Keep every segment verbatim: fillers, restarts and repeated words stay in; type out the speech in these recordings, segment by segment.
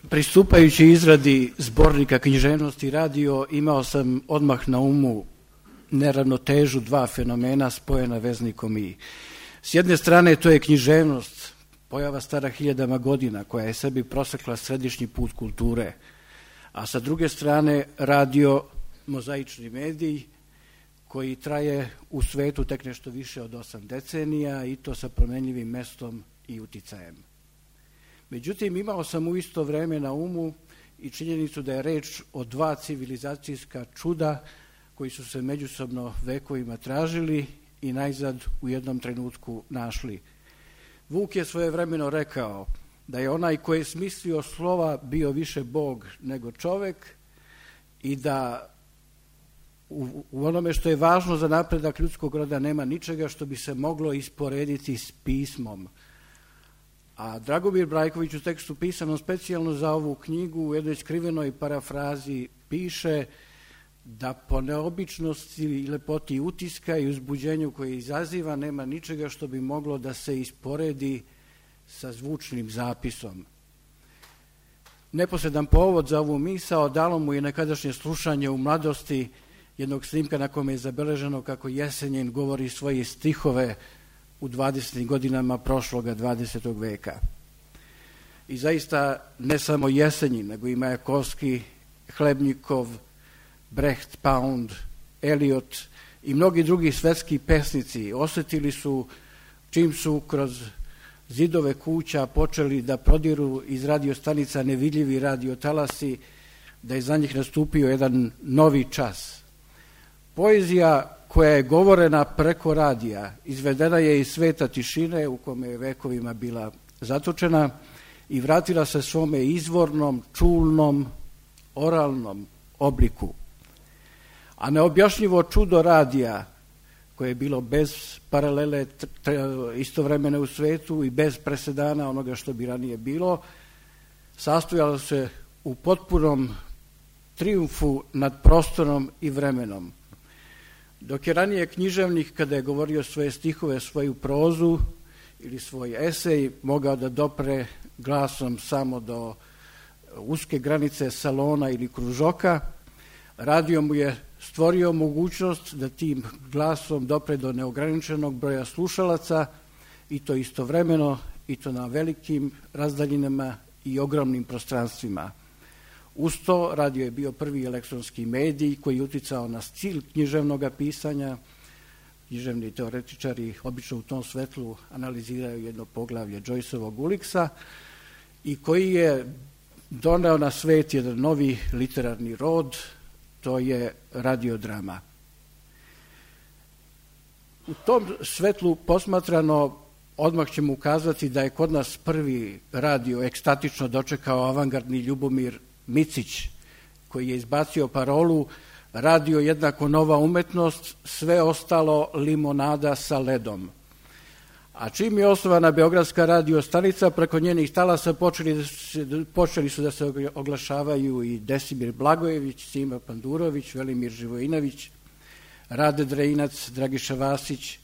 Pristupajući izradi zbornika književnosti radio, imao sam odmah na umu neravnotežu dva fenomena spojena veznikom i. S jedne strane to je književnost, pojava stara hiljadama godina, koja je sebi prosekla središnji put kulture, a sa druge strane radio, mozaični medij, koji traje u svetu tek nešto više od osam decenija i to sa promenljivim mestom i uticajem. Međutim, imao sam u isto vreme na umu i činjenicu da je reč o dva civilizacijska čuda koji su se međusobno vekovima tražili i najzad u jednom trenutku našli. Vuk je svojevremeno rekao da je onaj koji je smislio slova bio više Bog nego čovek i da u, u onome što je važno za napredak ljudskog roda nema ničega što bi se moglo isporediti s pismom. A Dragomir Brajković u tekstu pisanom specijalno za ovu knjigu u jednoj skrivenoj parafrazi piše da po neobičnosti i lepoti utiska i uzbuđenju koje izaziva nema ničega što bi moglo da se isporedi sa zvučnim zapisom. Neposredan povod za ovu misao dalo mu je nekadašnje slušanje u mladosti jednog snimka na kome je zabeleženo kako Jesenjin govori svoje stihove u dvadesetim godinama prošloga dvadesetog veka. I zaista ne samo Jesenjin, nego i Majakovski, Hlebnikov, Brecht, Pound, Eliot i mnogi drugi svetski pesnici osjetili su, čim su kroz zidove kuća počeli da prodiru iz radiostanica nevidljivi radiotalasi, da je za njih nastupio jedan novi čas. Poezija koja je govorena preko radija, izvedena je iz sveta tišine u kome je vekovima bila zatočena i vratila se svome izvornom, čulnom, oralnom obliku. A neobjašnjivo čudo radija, koje je bilo bez paralele istovremene u svetu i bez presedana onoga što bi ranije bilo, sastojalo se u potpunom trijumfu nad prostorom i vremenom. Dok je ranije književnik, kada je govorio svoje stihove, svoju prozu ili svoj esej, mogao da dopre glasom samo do uske granice salona ili kružoka, radio mu je stvorio mogućnost da tim glasom dopre do neograničenog broja slušalaca i to istovremeno i to na velikim razdaljinama i ogromnim prostranstvima. Uz to radio je bio prvi elektronski medij koji je uticao na stil književnog pisanja. Književni teoretičari obično u tom svetlu analiziraju jedno poglavlje Joyceovog Uliksa i koji je doneo na svet jedan novi literarni rod, to je radiodrama. U tom svetlu posmatrano odmah ćemo ukazati da je kod nas prvi radio ekstatično dočekao avangardni Ljubomir Micić, koji je izbacio parolu radio jednako nova umetnost, sve ostalo limonada sa ledom. A čim je osnovana Beogradska radio stanica, preko njenih talasa počeli, počeli su da se oglašavaju i Desimir Blagojević, Sima Pandurović, Velimir Živojinović, Rade Drejinac, Dragiša Vasić,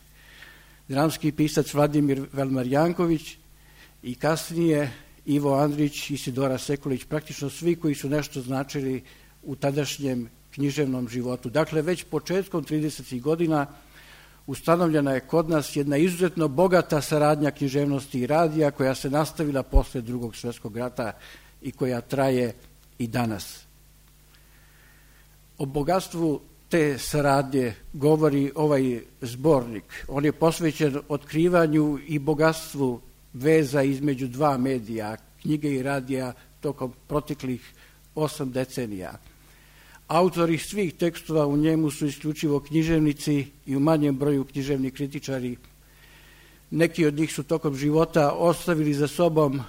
dramski pisac Vladimir Velmarjanković i kasnije Ivo Andrić, Isidora Sekulić, praktično svi koji su nešto značili u tadašnjem književnom životu. Dakle, već početkom tridesetih godina ustanovljena je kod nas jedna izuzetno bogata saradnja književnosti i radija koja se nastavila posle Drugog svjetskog rata i koja traje i danas. O bogatstvu te saradnje govori ovaj zbornik. On je posvećen otkrivanju i bogatstvu veza između dva medija, knjige i radija, tokom proteklih osam decenija. Autori svih tekstova u njemu su isključivo književnici i u manjem broju književni kritičari. Neki od njih su tokom života ostavili za sobom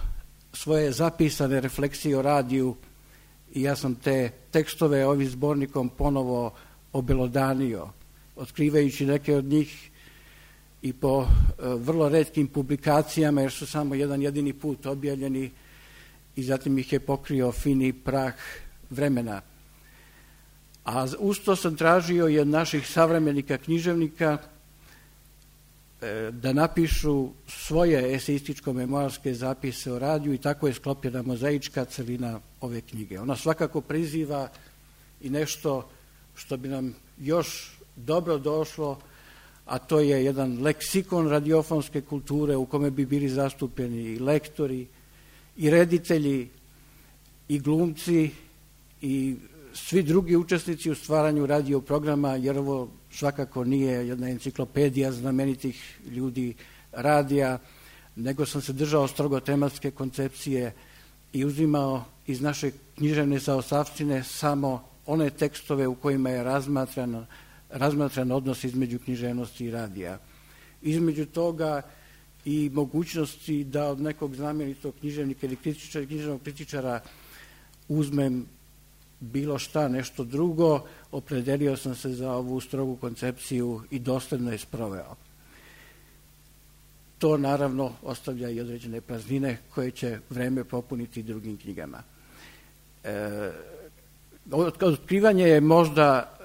svoje zapisane refleksije o radiju i ja sam te tekstove ovim zbornikom ponovo obelodanio, otkrivajući neke od njih i po vrlo retkim publikacijama, jer su samo jedan jedini put objavljeni i zatim ih je pokrio fini prah vremena. A uz to sam tražio i od naših savremenika književnika da napišu svoje eseističko-memoarske zapise o radiju i tako je sklopljena mozaička celina ove knjige. Ona svakako priziva i nešto što bi nam još dobro došlo, a to je jedan leksikon radiofonske kulture u kome bi bili zastupljeni i lektori, i reditelji, i glumci, i svi drugi učesnici u stvaranju radio programa, jer ovo svakako nije jedna enciklopedija znamenitih ljudi radija, nego sam se držao strogo tematske koncepcije i uzimao iz naše književne zaostavštine samo one tekstove u kojima je razmatran, razmatran odnos između književnosti i radija. Između toga i mogućnosti da od nekog znamenitog književnika ili kritičara, književnog kritičara uzmem bilo šta, nešto drugo, opredelio sam se za ovu strogu koncepciju i dosledno je sproveo. To naravno ostavlja i određene praznine koje će vreme popuniti drugim knjigama. E, otkrivanje je možda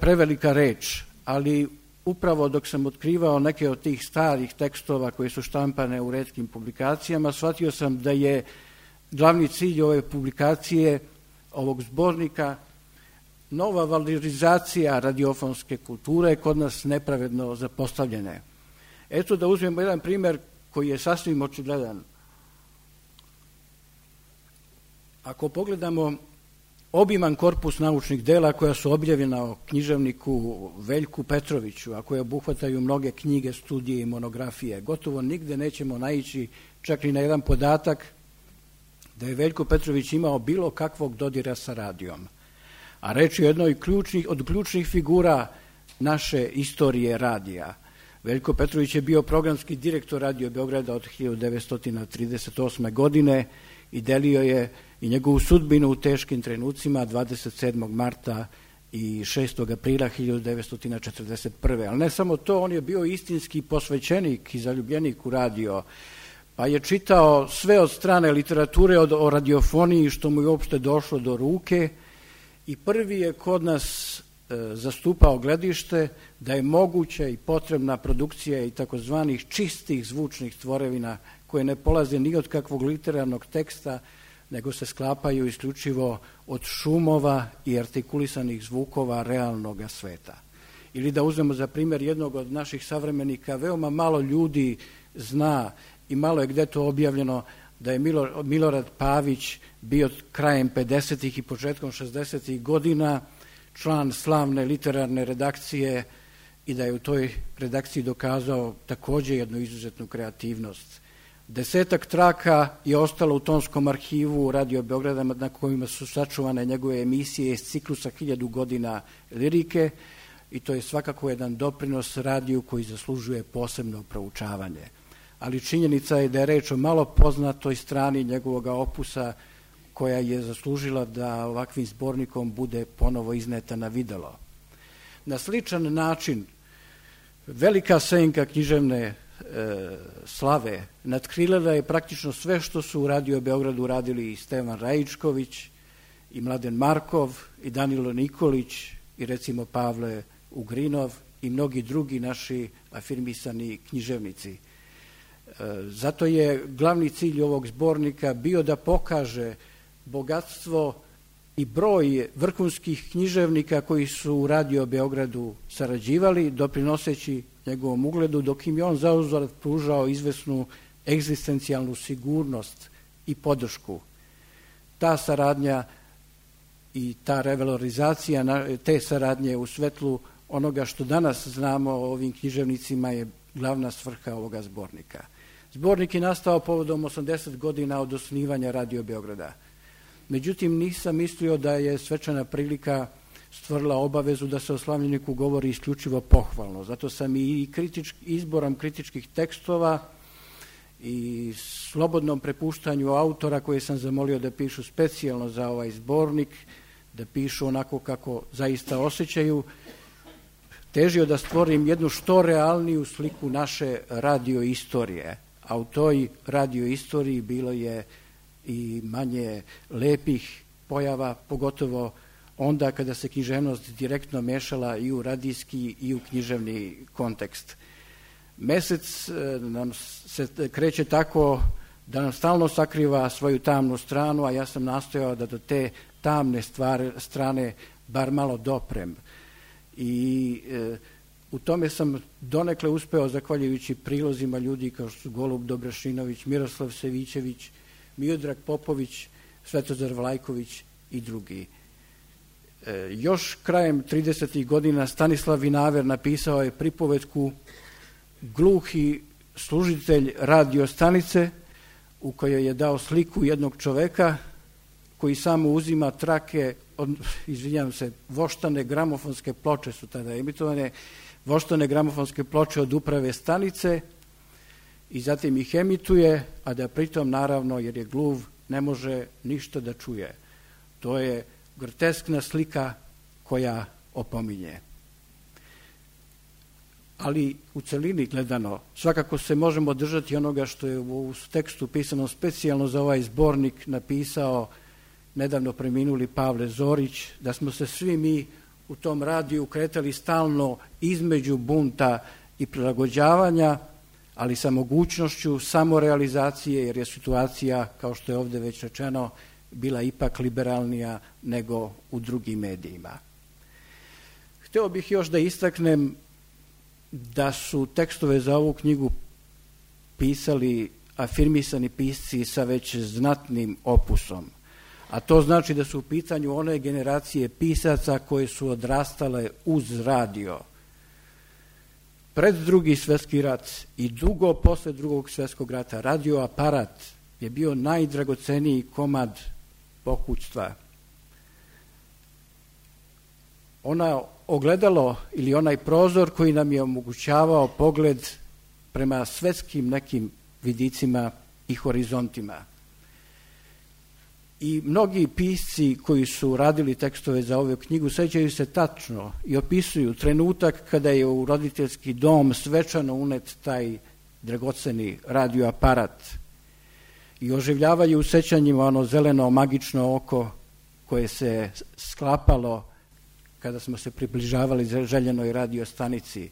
prevelika reč, ali upravo dok sam otkrivao neke od tih starih tekstova koje su štampane u retkim publikacijama, shvatio sam da je glavni cilj ove publikacije, ovog zbornika, nova valorizacija radiofonske kulture kod nas nepravedno zapostavljene. Eto da uzmemo jedan primjer koji je sasvim očigledan. Ako pogledamo obiman korpus naučnih dela koja su objavljena o književniku Veljku Petroviću, a koje obuhvataju mnoge knjige, studije i monografije, gotovo nigde nećemo naići čak i na jedan podatak da je Veljko Petrović imao bilo kakvog dodira sa radijom. A reč je o jednoj ključnih, od ključnih figura naše istorije radija. Veljko Petrović je bio programski direktor Radio Beograda od hiljadu devetsto trideset osme. godine i delio je i njegovu sudbinu u teškim trenucima dvadeset sedmog marta i šestog aprila hiljadu devetsto četrdeset prve. Ali ne samo to, on je bio istinski posvećenik i zaljubljenik u radio, pa je čitao sve od strane literature o radiofoniji što mu je uopšte došlo do ruke i prvi je kod nas e, zastupao gledište da je moguća i potrebna produkcija i takozvanih čistih zvučnih tvorevina koje ne polaze ni od kakvog literarnog teksta, nego se sklapaju isključivo od šumova i artikulisanih zvukova realnog sveta. Ili da uzmemo za primjer jednog od naših savremenika, veoma malo ljudi zna i malo je gde to objavljeno da je Milorad Pavić bio krajem pedesetih i početkom šezdesetih godina član slavne literarne redakcije i da je u toj redakciji dokazao također jednu izuzetnu kreativnost. Desetak traka je ostalo u tonskom arhivu Radio Beograda na kojima su sačuvane njegove emisije iz ciklusa hiljadu godina lirike i to je svakako jedan doprinos radiju koji zaslužuje posebno proučavanje. Ali činjenica je da je reč o malo poznatoj strani njegovog opusa koja je zaslužila da ovakvim zbornikom bude ponovo izneta na videlo. Na sličan način velika senka književne e, slave natkrilila je praktično sve što su u Radio Beogradu radili i Stevan Rajičković, i Mladen Markov, i Danilo Nikolić, i recimo Pavle Ugrinov, i mnogi drugi naši afirmisani književnici. Zato je glavni cilj ovog zbornika bio da pokaže bogatstvo i broj vrhunskih književnika koji su u Radio Beogradu sarađivali, doprinoseći njegovom ugledu, dok im je on zauzvrat pružao izvesnu egzistencijalnu sigurnost i podršku. Ta saradnja i ta revalorizacija te saradnje u svetlu onoga što danas znamo o ovim književnicima je glavna svrha ovoga zbornika. Zbornik je nastao povodom osamdeset godina od osnivanja Radio Beograda. Međutim, nisam mislio da je svečana prilika stvorila obavezu da se o slavljeniku govori isključivo pohvalno. Zato sam i kritič, izborom kritičkih tekstova i slobodnom prepuštanju autora koje sam zamolio da pišu specijalno za ovaj zbornik, da pišu onako kako zaista osjećaju, težio da stvorim jednu što realniju sliku naše radio istorije. A u toj radio istoriji bilo je i manje lepih pojava, pogotovo onda kada se književnost direktno mešala i u radijski i u književni kontekst. Mesec nam se kreće tako da nam stalno sakriva svoju tamnu stranu, a ja sam nastojao da do te tamne stvari, strane bar malo doprem. I e, u tome sam donekle uspeo, zahvaljujući prilozima ljudi kao što su Golub Dobrašinović, Miroslav Sevićević, Miodrag Popović, Svetozar Vlajković i drugi. E, još krajem tridesetih godina Stanislav Vinaver napisao je pripovetku Gluhi služitelj radio stanice, u kojoj je dao sliku jednog čoveka koji samo uzima trake, od, izvinjam se, voštane gramofonske ploče su tada emitovane, voštane gramofonske ploče od uprave stanice i zatim ih emituje, a da pritom, naravno, jer je gluv, ne može ništa da čuje. To je groteskna slika koja opominje. Ali u celini gledano, svakako se možemo držati onoga što je u tekstu pisano specijalno za ovaj zbornik napisao nedavno preminuli Pavle Zorić, da smo se svi mi u tom radiju kretali stalno između bunta i prilagođavanja, ali sa mogućnošću samorealizacije, jer je situacija, kao što je ovde već rečeno, bila ipak liberalnija nego u drugim medijima. Hteo bih još da istaknem da su tekstove za ovu knjigu pisali afirmisani pisci sa već znatnim opusom, a to znači da su u pitanju one generacije pisaca koje su odrastale uz radio. Pred drugi svjetski rat i dugo posle drugog svjetskog rata radioaparat je bio najdragoceniji komad pokućstva. Ona ogledalo ili onaj prozor koji nam je omogućavao pogled prema svetskim nekim vidicima i horizontima. I mnogi pisci koji su radili tekstove za ovu knjigu sećaju se tačno i opisuju trenutak kada je u roditeljski dom svečano unet taj dragoceni radioaparat i oživljavaju u sećanjima ono zeleno magično oko koje se sklapalo kada smo se približavali željenoj radio stanici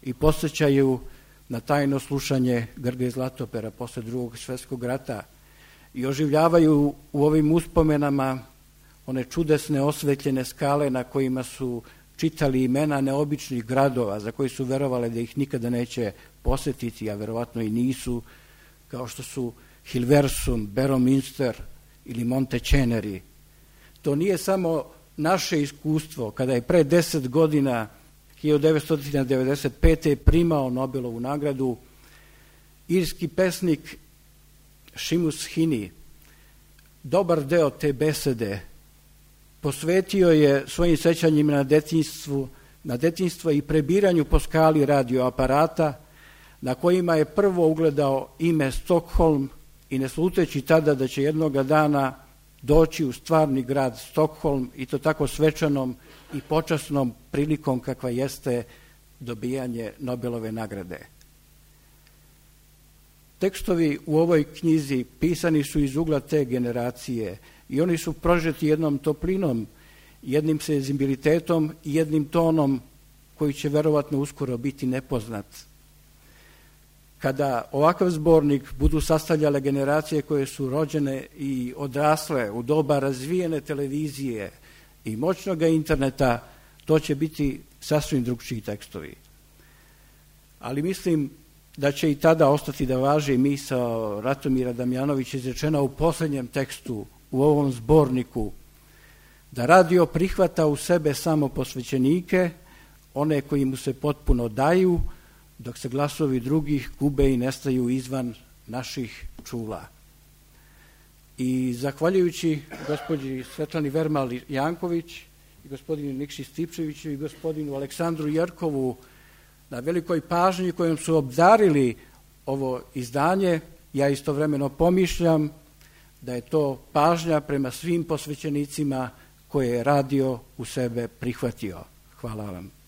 i posjećaju na tajno slušanje Grge Zlatopera posle drugog svjetskog rata i oživljavaju u ovim uspomenama one čudesne osvetljene skale na kojima su čitali imena neobičnih gradova za koji su verovali da ih nikada neće posjetiti, a verovatno i nisu, kao što su Hilversum, Berominster ili Monteceneri. To nije samo naše iskustvo, kada je pre deset godina, hiljadu devetsto devedeset pete primao Nobelovu nagradu, irski pesnik Seamus Heaney dobar deo te besede posvetio je svojim sećanjima na detinjstvu, na detinjstvo i prebiranju po skali radioaparata, na kojima je prvo ugledao ime Stockholm i ne sluteći tada da će jednoga dana doći u stvarni grad Stockholm i to tako svečanom i počasnom prilikom kakva jeste dobijanje Nobelove nagrade. Tekstovi u ovoj knjizi pisani su iz ugla te generacije i oni su prožeti jednom toplinom, jednim senzibilitetom i jednim tonom koji će verovatno uskoro biti nepoznat. Kada ovakav zbornik budu sastavljale generacije koje su rođene i odrasle u doba razvijene televizije i moćnog interneta, to će biti sasvim drugčiji tekstovi. Ali mislim da će i tada ostati da važi misao Ratomira Damjanovića izrečena u posljednjem tekstu u ovom zborniku, da radio prihvata u sebe samo posvećenike, one koji mu se potpuno daju, dok se glasovi drugih gube i nestaju izvan naših čula. I zahvaljujući gospođi Svetlani Vermal Janković i gospodinu Nikši Stipčeviću i gospodinu Aleksandru Jerkovu na velikoj pažnji kojom su obdarili ovo izdanje, ja istovremeno pomišljam da je to pažnja prema svim posvećenicima koje je radio u sebe prihvatio. Hvala vam.